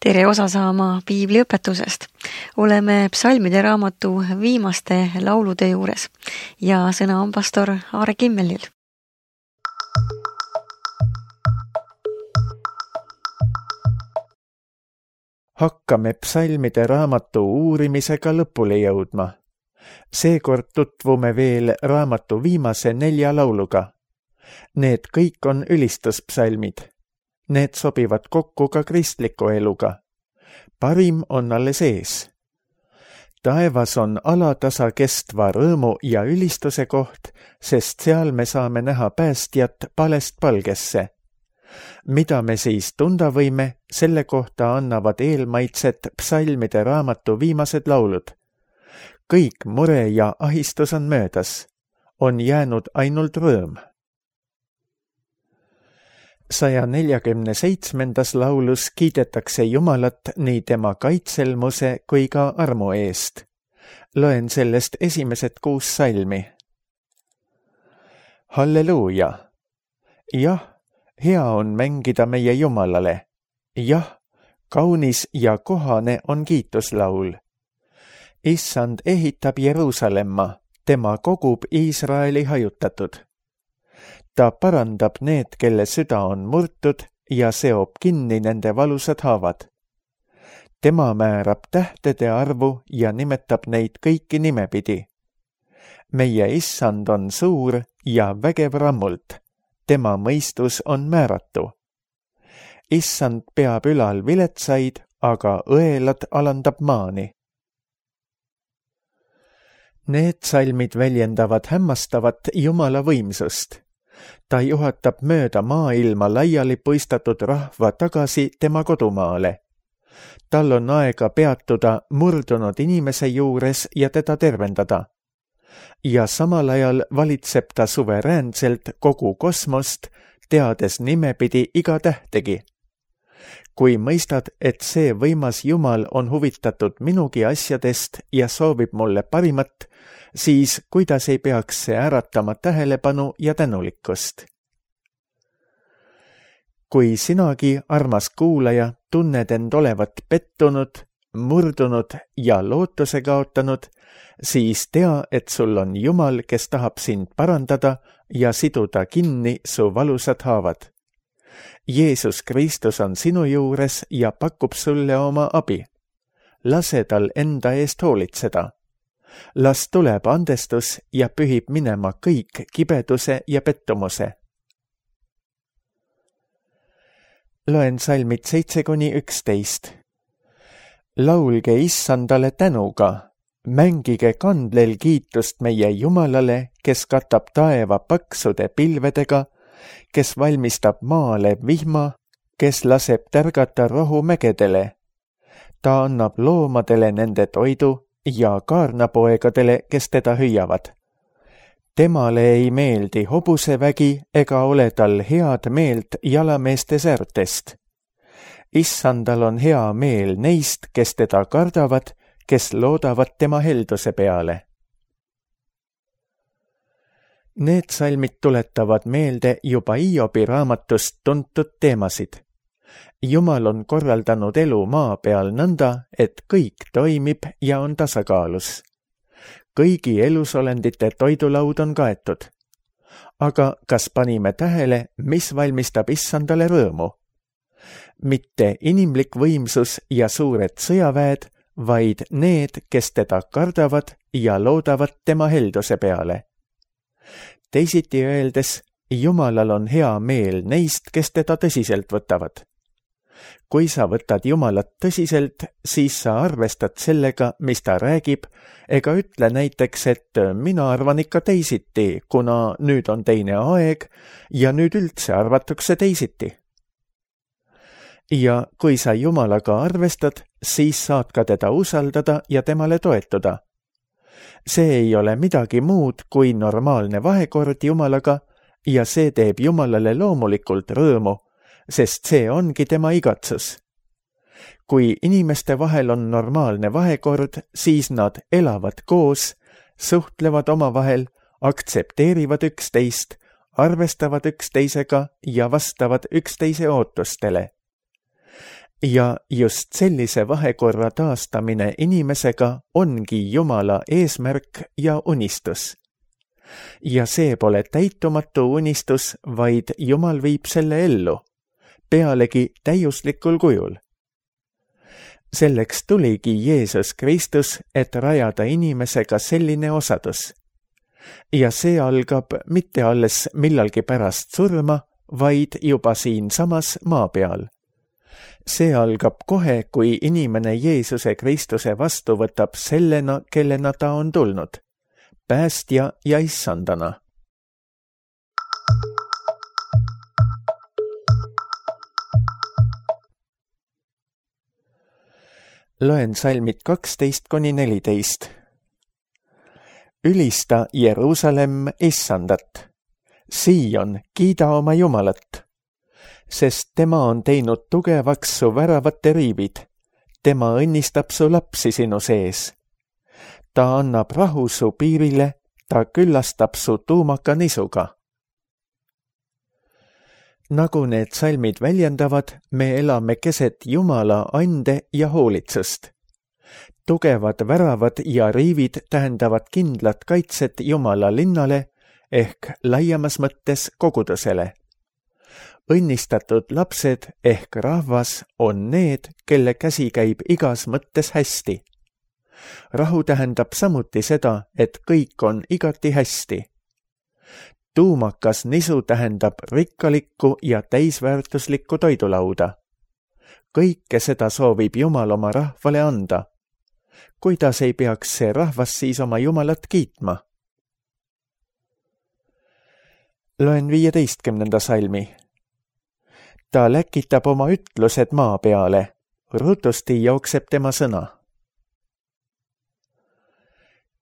Tere osa saama piibliõpetusest. Oleme psalmide raamatu viimaste laulude juures ja sõna on pastor Aare Kimmelil. Hakkame psalmide raamatu uurimisega lõpule jõudma. Seekord tutvume veel raamatu viimase 4 lauluga. Need kõik on ülistuspsalmid. Need sobivad kokku ka kristliku eluga. Parim on alles ees. Taevas on alatasa kestva rõõmu ja ülistuse koht, sest seal me saame näha päästjat palest palgesse. Mida me siis tunda võime, selle kohta annavad eelmaitset psalmide raamatu viimased laulud. Kõik mure ja ahistus on möödas. On jäänud ainult rõõm. 147. laulus kiidetakse Jumalat nii tema kaitselmuse kui ka armu eest. Loen sellest esimesed 6 salmi. Halleluuja! Jah, hea on mängida meie Jumalale. Jah, kaunis ja kohane on kiituslaul. Issand ehitab Jeruusalemma, tema kogub Iisraeli hajutatud. Ta parandab need, kelle süda on murtud ja seob kinni nende valusad haavad. Tema määrab tähtede arvu ja nimetab neid kõiki nimepidi. Meie issand on suur ja vägev rammult. Tema mõistus on määratu. Issand peab ülal viletsaid, aga õelad alandab maani. Need salmid väljendavad hämmastavat Jumala võimsust. Ta juhatab mööda maailma laiali puistatud rahva tagasi tema kodumaale. Tal on aega peatuda murdunud inimese juures ja teda tervendada. Ja samal ajal valitseb ta suveräänselt kogu kosmost, teades nimepidi iga tähtegi. Kui mõistad, et see võimas Jumal on huvitatud minugi asjadest ja soovib mulle parimat, siis kuidas ei peaks see äratama tähelepanu ja tänulikkust? Kui sinagi, armas kuulaja, tunned end olevat pettunud, murdunud ja lootuse kaotanud, siis tea, et sul on Jumal, kes tahab sind parandada ja siduda kinni su valusad haavad. Jeesus Kristus on sinu juures ja pakub sulle oma abi. Lase tal enda eest hoolitseda. Las tuleb andestus ja pühib minema kõik kibeduse ja pettumuse. Loen salmid 7-11. Laulge issandale tänuga. Mängige kandlel kiitust meie Jumalale, kes katab taeva paksude pilvedega, kes valmistab maale vihma, kes laseb tärgata rohu mägedele. Ta annab loomadele nende toidu ja kaarnapoegadele, kes teda hüüavad. Temale ei meeldi hobusevägi ega ole tal head meelt jalameeste säärtest. Issandal on hea meel neist, kes teda kardavad, kes loodavad tema helduse peale. Need salmid tuletavad meelde juba Hiobi raamatust tuntud teemasid. Jumal on korraldanud elu maa peal nõnda, et kõik toimib ja on tasakaalus. Kõigi elusolendite toidulaud on kaetud. Aga kas panime tähele, mis valmistab issandale rõõmu? Mitte inimlik võimsus ja suured sõjaväed, vaid need, kes teda kardavad ja loodavad tema helduse peale. Teisiti öeldes, Jumalal on hea meel neist, kes teda tõsiselt võtavad. Kui sa võtad Jumalat tõsiselt, siis sa arvestad sellega, mis ta räägib, ega ütle näiteks, et mina arvan ikka teisiti, kuna nüüd on teine aeg ja nüüd üldse arvatakse teisiti. Ja kui sa Jumalaga arvestad, siis saad ka teda usaldada ja temale toetuda. See ei ole midagi muud kui normaalne vahekord Jumalaga ja see teeb Jumalale loomulikult rõõmu, sest see ongi tema igatsus. Kui inimeste vahel on normaalne vahekord, siis nad elavad koos, suhtlevad omavahel, aktsepteerivad üksteist, arvestavad üksteisega ja vastavad üksteise ootustele. Ja just sellise vahekorra taastamine inimesega ongi Jumala eesmärk ja unistus. Ja see pole täitumatu unistus, vaid Jumal viib selle ellu, pealegi täiuslikul kujul. Selleks tuligi Jeesus Kristus, et rajada inimesega selline osadus. Ja see algab mitte alles millalgi pärast surma, vaid juba siinsamas maa peal. See algab kohe, kui inimene Jeesuse Kristuse vastu võtab sellena, kellena ta on tulnud, päästja ja issandana. Loen salmid 12–14. Ülista Jeruusalemm issandat. Siion, kiida oma Jumalat, sest tema on teinud tugevaks su väravate riivid. Tema õnnistab su lapsi sinu sees. Ta annab rahu su piirile, ta küllastab su tuumaka nisuga. Nagu need salmid väljendavad, me elame keset Jumala ande ja hoolitsust. Tugevad väravad ja riivid tähendavad kindlat kaitset Jumala linnale ehk laiemas mõttes kogudusele. Õnnistatud lapsed ehk rahvas on need, kelle käsi käib igas mõttes hästi. Rahu tähendab samuti seda, et kõik on igati hästi. Tuumakas nisu tähendab rikkalikku ja täisväärtuslikku toidulauda. Kõike seda soovib Jumal oma rahvale anda. Kuidas ei peaks see rahvas siis oma Jumalat kiitma? Loen 15. salmi. Ta läkitab oma ütlused maa peale, rutusti jookseb tema sõna.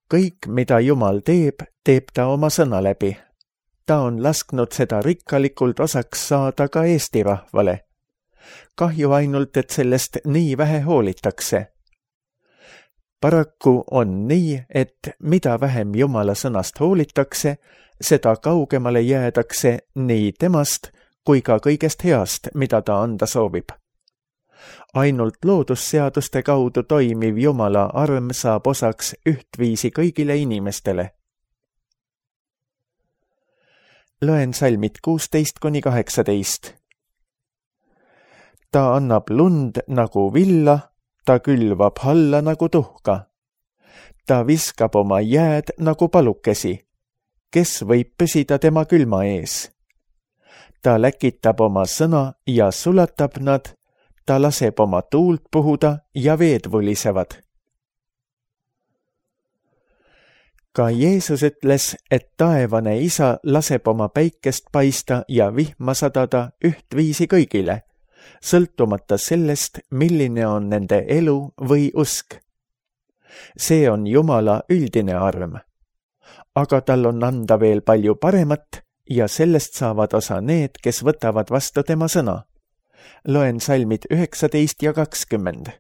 Kõik, mida Jumal teeb, teeb ta oma sõna läbi. Ta on lasknud seda rikkalikult osaks saada ka Eesti rahvale. Kahju ainult, et sellest nii vähe hoolitakse. Paraku on nii, et mida vähem Jumala sõnast hoolitakse, seda kaugemale jäädakse nii temast kui ka kõigest heast, mida ta anda soovib. Ainult loodusseaduste kaudu toimiv Jumala arm saab osaks ühtviisi kõigile inimestele. Loen salmid 16–18. Ta annab lund nagu villa, ta külvab halla nagu tuhka. Ta viskab oma jääd nagu palukesi. Kes võib püsida tema külma ees? Ta läkitab oma sõna ja sulatab nad, ta laseb oma tuult puhuda ja veed vulisevad. Ka Jeesus ütles, et taevane isa laseb oma päikest paista ja vihma sadada ühtviisi kõigile, sõltumata sellest, milline on nende elu või usk. See on Jumala üldine arm. Aga tal on anda veel palju paremat ja sellest saavad osa need, kes võtavad vastu tema sõna. Loen salmid 19 ja 20.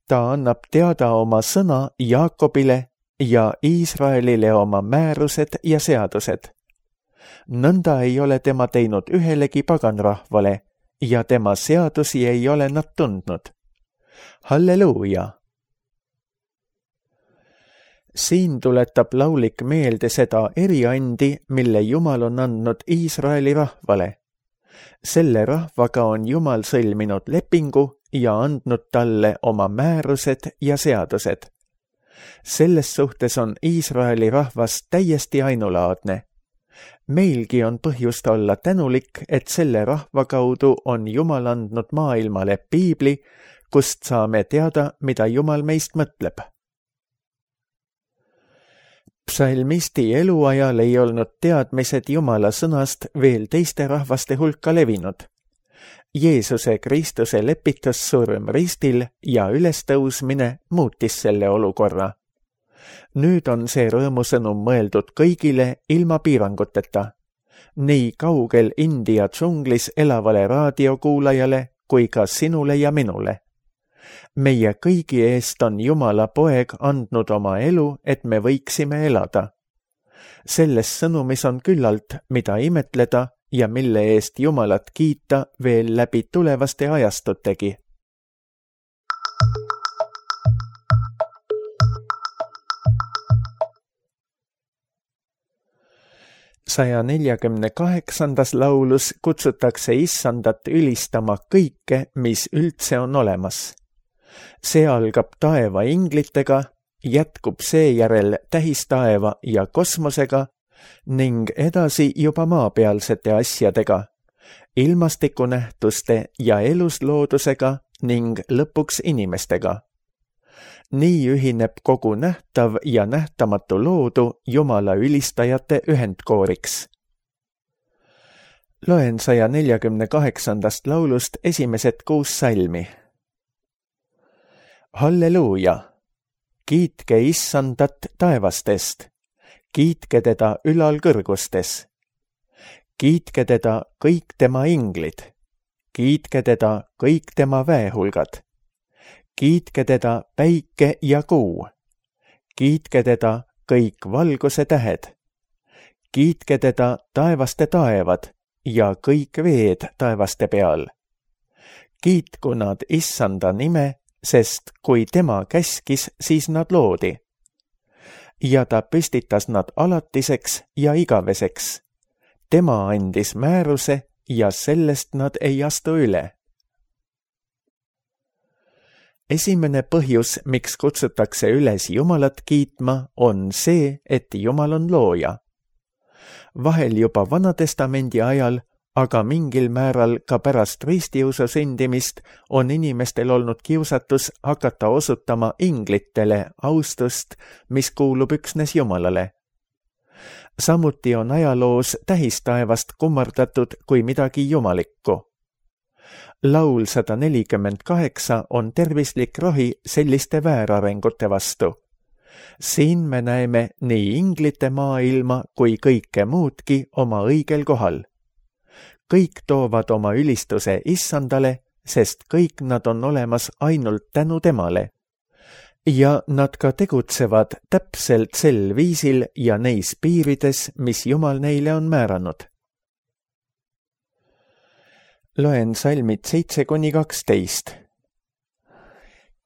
Ta annab teada oma sõna Jaakobile ja Iisraelile oma määrused ja seadused. Nõnda ei ole tema teinud ühelegi paganrahvale ja tema seadusi ei ole nad tundnud. Halleluuja! Siin tuletab laulik meelde seda eriandi, mille Jumal on andnud Iisraeli rahvale. Selle rahvaga on Jumal sõlminud lepingu ja andnud talle oma määrused ja seadused. Selles suhtes on Iisraeli rahvas täiesti ainulaadne. Meilgi on põhjust olla tänulik, et selle rahva kaudu on Jumal andnud maailmale piibli, kust saame teada, mida Jumal meist mõtleb. Psalmisti eluajal ei olnud teadmised Jumala sõnast veel teiste rahvaste hulka levinud. Jeesuse Kristuse lepitussurm ristil ja ülestõusmine muutis selle olukorra. Nüüd on see rõõmusõnum mõeldud kõigile ilma piiranguteta, nii kaugel India džunglis elavale raadiokuulajale kui ka sinule ja minule. Meie kõigi eest on Jumala poeg andnud oma elu, et me võiksime elada. Selles sõnumis on küllalt, mida imetleda ja mille eest Jumalat kiita veel läbi tulevaste ajastutegi. Saja 48. laulus kutsutakse Issandat ülistama kõike, mis üldse on olemas. See algab taeva inglitega, jätkub seejärel tähistaeva ja kosmosega ning edasi juba maapealsete asjadega, ilmastikunähtuste ja elusloodusega ning lõpuks inimestega. Nii ühineb kogu nähtav ja nähtamatu loodu Jumala ülistajate ühendkooriks. Loen 148. laulust esimesed 6 salmi. Halleluuja! Kiitke Issandat taevastest, kiitke teda ülal kõrgustes. Kiitke teda kõik tema inglid, kiitke teda kõik tema väehulgad. Kiitke teda päike ja kuu, kiitke teda kõik valguse tähed, kiitke teda taevaste taevad ja kõik veed taevaste peal. Kiitku nad Issanda nime, sest kui tema käskis, siis nad loodi. Ja ta püstitas nad alatiseks ja igaveseks. Tema andis määruse ja sellest nad ei astu üle. Esimene põhjus, miks kutsutakse üles Jumalat kiitma, on see, et Jumal on looja. Vahel juba Vanatestamendi ajal, aga mingil määral ka pärast ristiusu sündimist on inimestel olnud kiusatus hakata osutama inglitele austust, mis kuulub üksnes Jumalale. Samuti on ajaloos tähistaevast kummardatud kui midagi jumalikku. Laul 148 on tervislik rohi selliste väärarengute vastu. Siin me näeme nii inglite maailma kui kõike muudki oma õigel kohal. Kõik toovad oma ülistuse Issandale, sest kõik nad on olemas ainult tänu temale. Ja nad ka tegutsevad täpselt sel viisil ja neis piirides, mis Jumal neile on määranud. Loen salmid 7-12.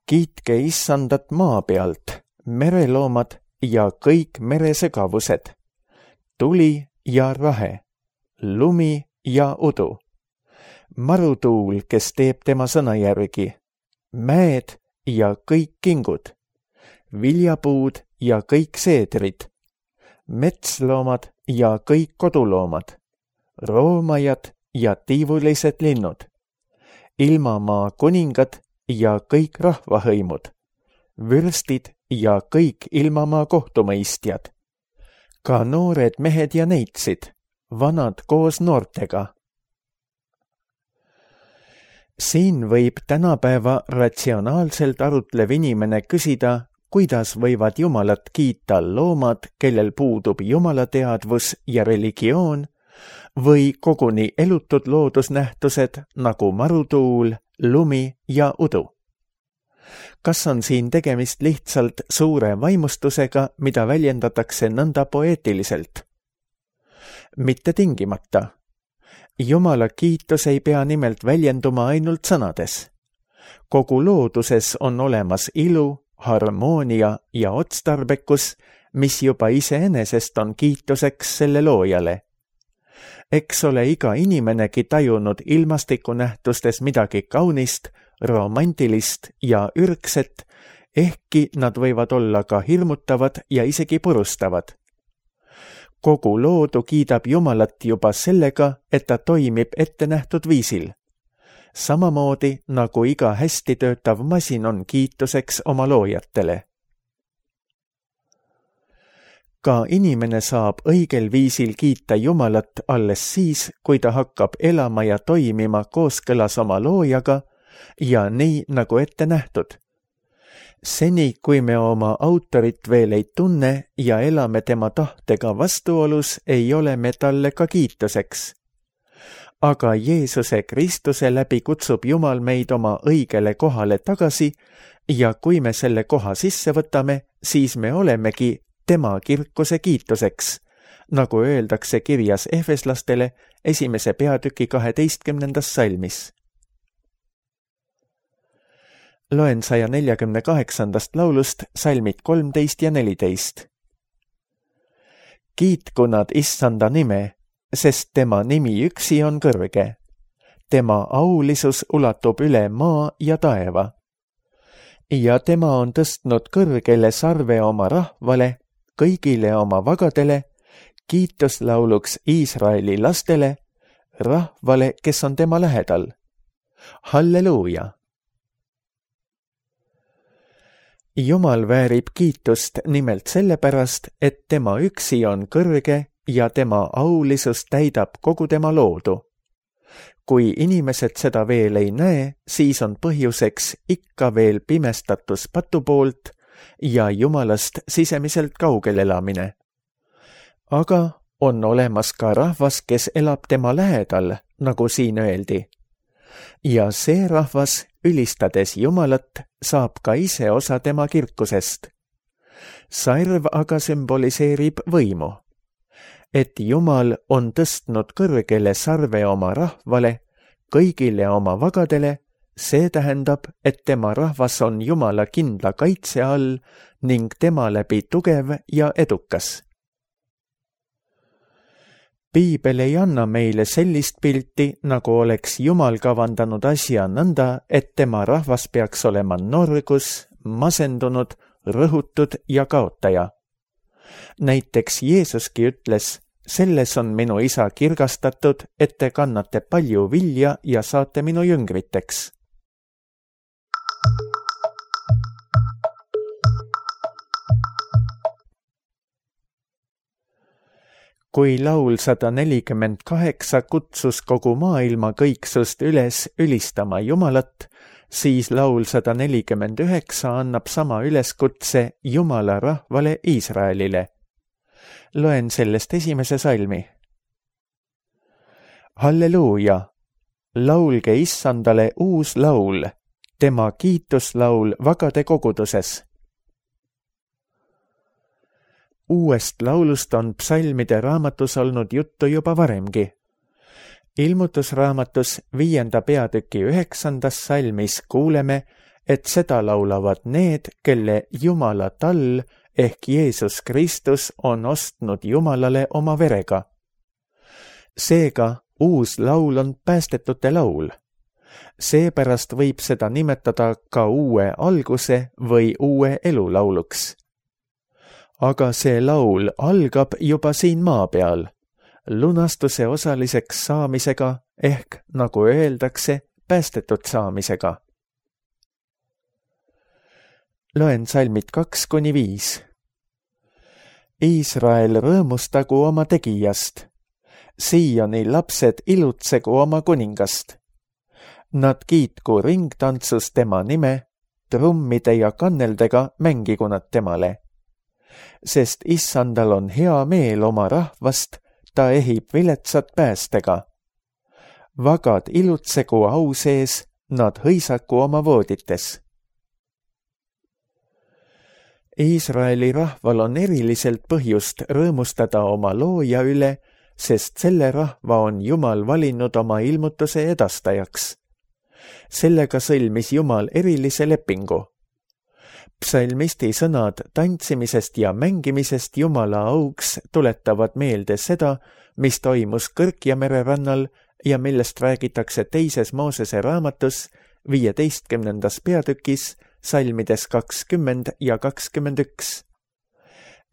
Kiitke Issandat maa pealt, mereloomad ja kõik meresegavused, tuli ja rahe, lumi ja udu, marutuul, kes teeb tema sõna järgi, mäed ja kõik kingud, viljapuud ja kõik seedrid, metsloomad ja kõik koduloomad, roomajad ja tiivulised linnud, ilmamaa kuningad ja kõik rahvahõimud, vürstid ja kõik ilmamaa kohtumõistjad, ka noored mehed ja neitsid, vanad koos noortega. Siin võib tänapäeva ratsionaalselt arutlev inimene küsida, kuidas võivad Jumalat kiita loomad, kellel puudub jumalateadvus ja religioon, või koguni elutud loodusnähtused nagu marutuul, lumi ja udu. Kas on siin tegemist lihtsalt suure vaimustusega, mida väljendatakse nõnda poeetiliselt? Mitte tingimata. Jumala kiitus ei pea nimelt väljenduma ainult sõnades. Kogu looduses on olemas ilu, harmoonia ja otstarbekus, mis juba iseenesest on kiituseks selle loojale. Eks ole iga inimenegi tajunud ilmastikunähtustes midagi kaunist, romantilist ja ürgset, ehkki nad võivad olla ka hirmutavad ja isegi purustavad. Kogu loodu kiidab Jumalat juba sellega, et ta toimib ettenähtud viisil. Samamoodi nagu iga hästi töötav masin on kiituseks oma loojatele. Ka inimene saab õigel viisil kiita Jumalat alles siis, kui ta hakkab elama ja toimima kooskõlas oma loojaga ja nii nagu ette nähtud. Seni, kui me oma autorit veel ei tunne ja elame tema tahtega vastuolus, ei ole me talle ka kiituseks. Aga Jeesuse Kristuse läbi kutsub Jumal meid oma õigele kohale tagasi ja kui me selle koha sisse võtame, siis me olemegi tema kirkuse kiituseks, nagu öeldakse kirjas Efeslastele 1. peatüki 12. salmis. Loen 148. laulust salmid 13 ja 14. Kiitku nad Issanda nime, sest tema nimi üksi on kõrge. Tema aulisus ulatub üle maa ja taeva. Ja tema on tõstnud kõrgele sarve oma rahvale, kõigile oma vagadele, kiituslauluks Iisraeli lastele, rahvale, kes on tema lähedal. Halleluuja! Jumal väärib kiitust nimelt sellepärast, et tema üksi on kõrge ja tema aulisus täidab kogu tema loodu. Kui inimesed seda veel ei näe, siis on põhjuseks ikka veel pimestatus patu poolt ja Jumalast sisemiselt kaugel elamine. Aga on olemas ka rahvas, kes elab tema lähedal, nagu siin öeldi. Ja see rahvas, ülistades Jumalat, saab ka ise osa tema kirkusest. Sarv aga sümboliseerib võimu. Et Jumal on tõstnud kõrgele sarve oma rahvale, kõigile oma vagadele, see tähendab, et tema rahvas on Jumala kindla kaitse all ning tema läbi tugev ja edukas. Piibel ei anna meile sellist pilti, nagu oleks Jumal kavandanud asja nõnda, et tema rahvas peaks olema norgus, masendunud, rõhutud ja kaotaja. Näiteks Jeesuski ütles, selles on minu isa kirgastatud, et te kannate palju vilja ja saate minu jüngriteks. Kui laul 148 kutsus kogu maailma kõiksust üles ülistama Jumalat, siis laul 149 annab sama üleskutse Jumala rahvale Iisraelile. Loen sellest 1. salmi. Halleluuja! Laulge Issandale uus laul, tema kiituslaul vagade koguduses. Uuest laulust on psalmide raamatus olnud juttu juba varemgi. Ilmutusraamatus 5. peatüki 9. salmis kuuleme, et seda laulavad need, kelle Jumala tall ehk Jeesus Kristus on ostnud Jumalale oma verega. Seega uus laul on päästetute laul. Seepärast võib seda nimetada ka uue alguse või uue elu lauluks. Aga see laul algab juba siin maa peal, lunastuse osaliseks saamisega ehk, nagu öeldakse, päästetud saamisega. Loen salmid 2-5. Iisrael rõõmustagu oma tegijast, Sioni lapsed ilutsegu oma kuningast. Nad kiitku ringtantsus tema nime, trummide ja kanneldega mängigu nad temale. Sest Issandal on hea meel oma rahvast, ta ehib viletsat päästega. Vagad ilutsegu au sees, nad hõisaku oma voodites. Iisraeli rahval on eriliselt põhjust rõõmustada oma looja üle, sest selle rahva on Jumal valinud oma ilmutuse edastajaks. Sellega sõlmis Jumal erilise lepingu. Psalmisti sõnad tantsimisest ja mängimisest Jumala auks tuletavad meelde seda, mis toimus Kõrkjamere rannal ja millest räägitakse 2. Moosese raamatus 15. peatükis salmides 20 ja 21.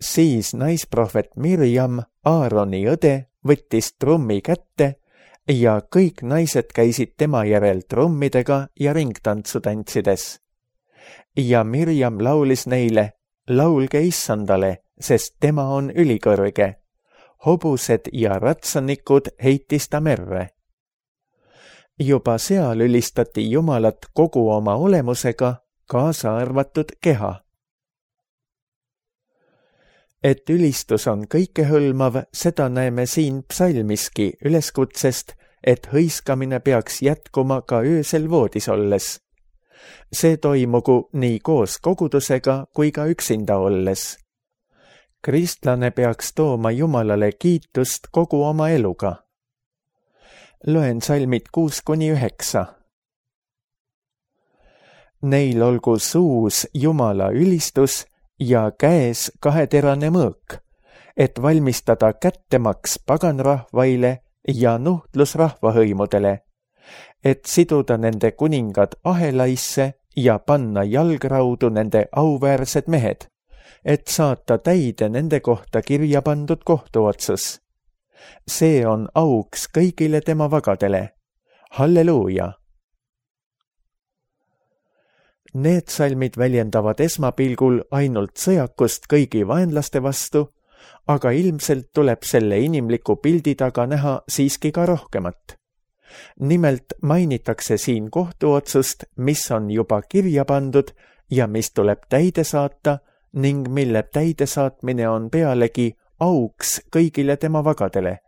Siis naisprohvet Mirjam, Aaroni õde, võttis trummi kätte ja kõik naised käisid tema järel trummidega ja ringtantsu tantsides. Ja Mirjam laulis neile, laulge Issandale, sest tema on ülikõrge. Hobused ja ratsanikud heitis ta merre. Juba seal ülistati Jumalat kogu oma olemusega, kaasa arvatud keha. Et ülistus on kõikehõlmav, seda näeme siin psalmiski üleskutsest, et hõiskamine peaks jätkuma ka öösel voodis olles. See toimugu nii koos kogudusega kui ka üksinda olles. Kristlane peaks tooma Jumalale kiitust kogu oma eluga. Loen salmid 6-9. Neil olgu suus Jumala ülistus ja käes kaheterane mõõk, et valmistada kättemaks paganrahvaile ja nuhtlusrahvahõimudele, et siduda nende kuningad ahelaisse ja panna jalgraudu nende auväärsed mehed, et saata täide nende kohta kirja pandud kohtuotsus. See on auks kõigile tema vagadele. Halleluuja! Need salmid väljendavad esmapilgul ainult sõjakust kõigi vaenlaste vastu, aga ilmselt tuleb selle inimliku pildi taga näha siiski ka rohkemat. Nimelt mainitakse siin kohtuotsust, mis on juba kirja pandud ja mis tuleb täide saata ning mille täidesaatmine on pealegi auks kõigile tema vagadele.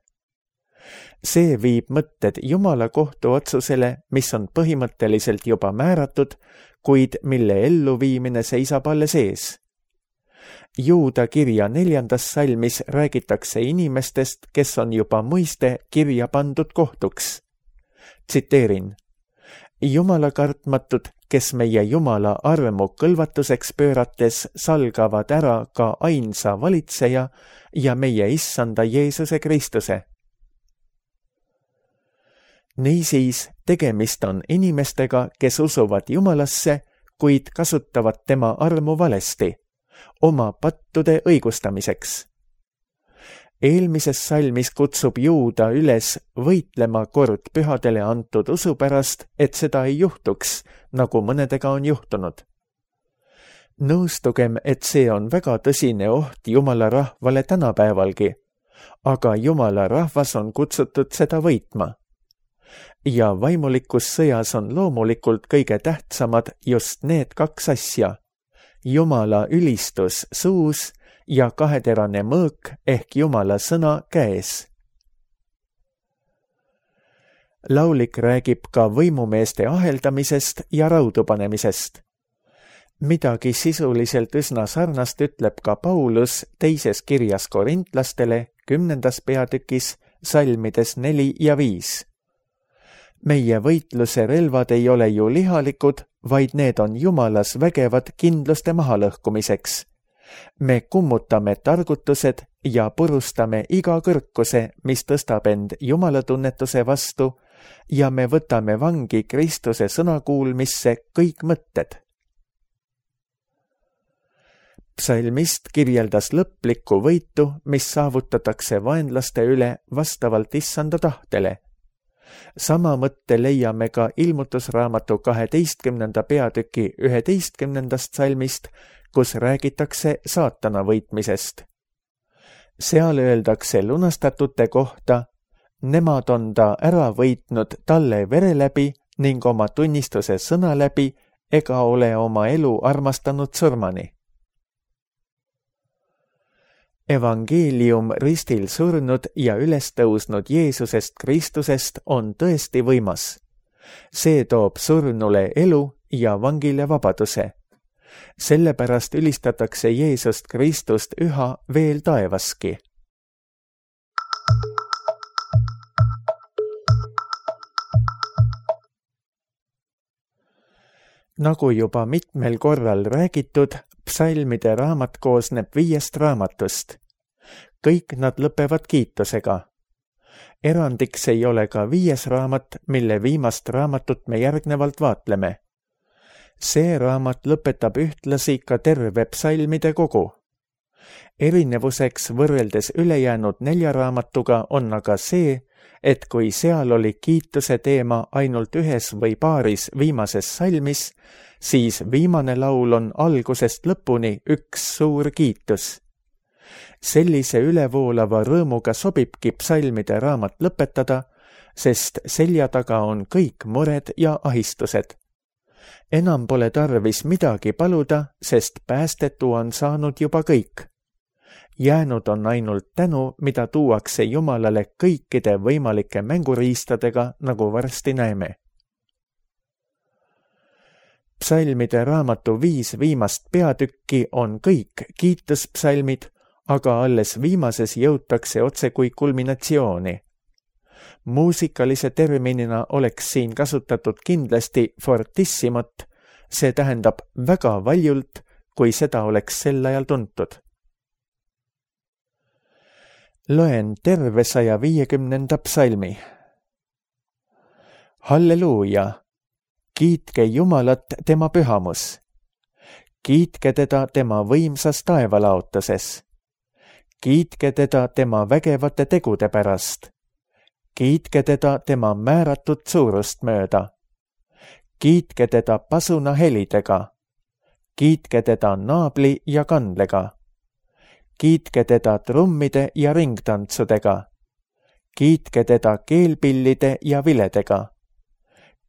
See viib mõtted Jumala kohtuotsusele, mis on põhimõtteliselt juba määratud, kuid mille elluviimine seisab alles ees. Juuda kirja 4. salmis räägitakse inimestest, kes on juba mõiste kirja pandud kohtuks. Tsiteerin: Jumala kartmatud, kes meie Jumala armu kõlvatuseks pöörates salgavad ära ka ainsa valitseja ja meie issanda Jeesuse Kristuse. Niisiis, tegemist on inimestega, kes usuvad Jumalasse, kuid kasutavad tema armu valesti, oma pattude õigustamiseks. Eelmises salmis kutsub Juuda üles võitlema kord pühadele antud usu pärast, et seda ei juhtuks, nagu mõnedega on juhtunud. Nõustugem, et see on väga tõsine oht Jumala rahvale tänapäevalgi, aga Jumala rahvas on kutsutud seda võitma. Ja vaimulikus sõjas on loomulikult kõige tähtsamad just need kaks asja: Jumala ülistus suus ja kaheterane mõõk ehk Jumala sõna käes. Laulik räägib ka võimumeeste aheldamisest ja raudu panemisest. Midagi sisuliselt üsna sarnast ütleb ka Paulus teises kirjas korintlastele 10. peatükis salmides 4 ja 5. Meie võitluse relvad ei ole ju lihalikud, vaid need on Jumalas vägevad kindluste mahalõhkumiseks. Me kummutame targutused ja purustame iga kõrkuse, mis tõstab end Jumala tunnetuse vastu, ja me võtame vangi Kristuse sõnakuulmisse kõik mõtted. Psalmist kirjeldas lõplikku võitu, mis saavutatakse vaenlaste üle vastavalt issanda tahtele. Sama mõtte leiame ka Ilmutusraamatu 12. peatüki 11. salmist, kus räägitakse saatana võitmisest. Seal öeldakse lunastatute kohta: nemad on ta ära võitnud talle vere läbi ning oma tunnistuse sõna läbi ega ole oma elu armastanud surmani. Evangeelium ristil surnud ja üles tõusnud Jeesusest Kristusest on tõesti võimas. See toob surnule elu ja vangile vabaduse. Sellepärast ülistatakse Jeesust Kristust üha veel taevaski. Nagu juba mitmel korral räägitud, psalmide raamat koosneb 5 raamatust. Kõik nad lõpevad kiitusega. Erandiks ei ole ka 5. raamat, mille viimast raamatut me järgnevalt vaatleme. See raamat lõpetab ühtlasi ka terve psalmide kogu. Erinevuseks võrreldes ülejäänud 4 raamatuga on aga see, et kui seal oli kiituse teema ainult ühes või paaris viimases salmis, siis viimane laul on algusest lõpuni üks suur kiitus. Sellise ülevoolava rõõmuga sobibki psalmide raamat lõpetada, sest selja taga on kõik mured ja ahistused. Enam pole tarvis midagi paluda, sest päästetu on saanud juba kõik. Jäänud on ainult tänu, mida tuuakse Jumalale kõikide võimalike mänguriistadega, nagu varsti näeme. Psalmide raamatu 5 viimast peatükki on kõik kiituspsalmid, aga alles viimases jõutakse otse kui kulminatsiooni. Muusikalise terminina oleks siin kasutatud kindlasti fortissimot, see tähendab väga valjult, kui seda oleks sel ajal tuntud. Loen terve 150. psalmi. Halleluuja! Kiitke Jumalat tema pühamus. Kiitke teda tema võimsas taevalaotuses. Kiitke teda tema vägevate tegude pärast. Kiitke teda tema määratud suurust mööda. Kiitke teda pasuna helidega. Kiitke teda naabli ja kandlega. Kiitke teda trummide ja ringtantsudega. Kiitke teda keelpillide ja viledega.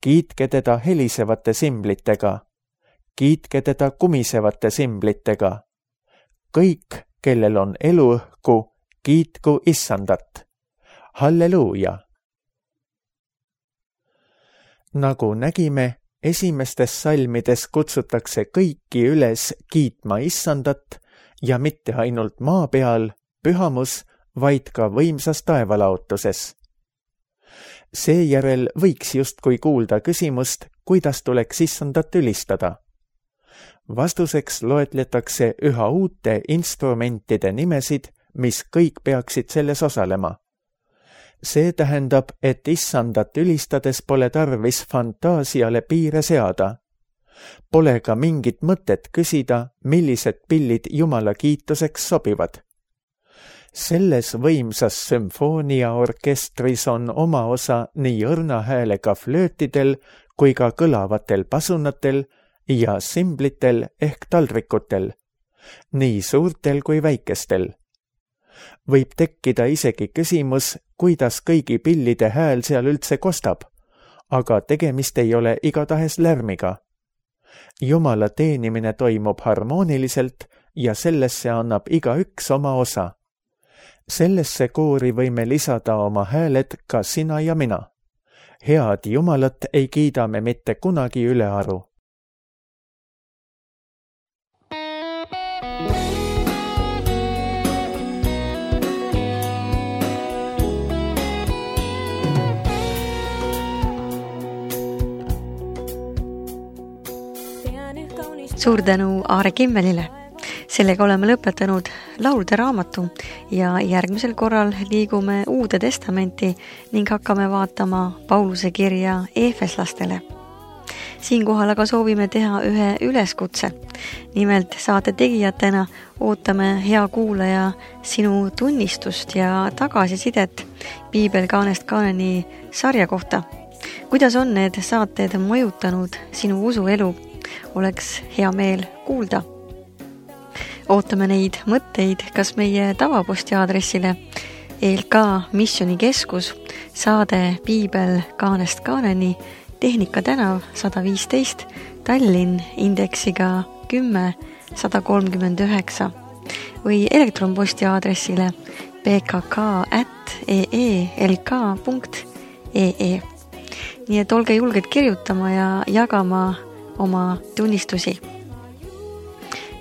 Kiitke teda helisevate simblitega. Kiitke teda kumisevate simblitega. Kõik, kellel on eluõhku, kiitku Issandat. Halleluuja! Nagu nägime, esimestes salmides kutsutakse kõiki üles kiitma Issandat ja mitte ainult maa peal, pühamus, vaid ka võimsas taevalaotuses. Seejärel võiks justkui kuulda küsimust, kuidas tuleks Issandat ülistada. Vastuseks loetletakse üha uute instrumentide nimesid, mis kõik peaksid selles osalema. See tähendab, et Issandat ülistades pole tarvis fantaasiale piire seada. Pole ka mingit mõtet küsida, millised pillid Jumala kiituseks sobivad. Selles võimsas sümfooniaorkestris on oma osa nii õrna häälega flöötidel kui ka kõlavatel pasunatel ja simblitel ehk taldrikutel, nii suurtel kui väikestel. Võib tekkida isegi küsimus, kuidas kõigi pillide hääl seal üldse kostab, aga tegemist ei ole igatahes lärmiga. Jumala teenimine toimub harmooniliselt ja sellesse annab igaüks oma osa. Sellesse koori võime lisada oma hääled ka sina ja mina. Head Jumalat ei kiida me mitte kunagi ülearu. Suur tänu Aare Kimmelile. Sellega oleme lõpetanud laulude raamatu ja järgmisel korral liigume Uude Testamenti ning hakkame vaatama Pauluse kirja Eefeslastele. Siinkohal aga soovime teha ühe üleskutse. Nimelt saate tegijatena ootame, hea kuulaja, sinu tunnistust ja tagasisidet Piibel kaanest kaaneni sarja kohta. Kuidas on need saated mõjutanud sinu usuelu? Oleks hea meel kuulda. Ootame neid mõtteid kas meie tavaposti aadressile ELK Missioonikeskus, saade Piibel kaanest kaaneni, Tehnika tänav 115, Tallinn indeksiga 10139 või elektronposti aadressile pkk@eelk.ee. Nii et olge julged kirjutama ja jagama oma tunnistusi.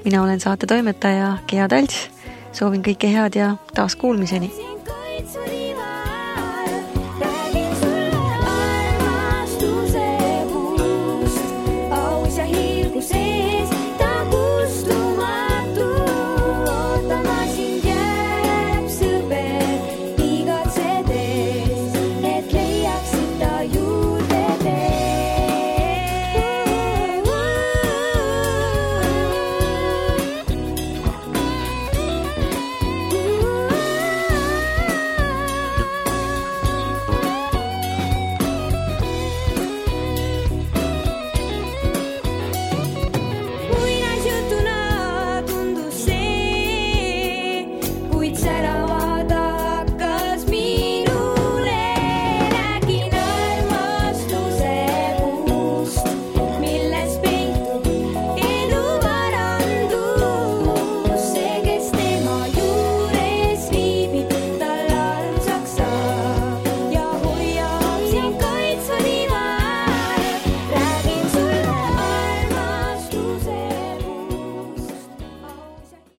Mina olen saate toimetaja Gea Talts. Soovin kõike head ja taas kuulmiseni.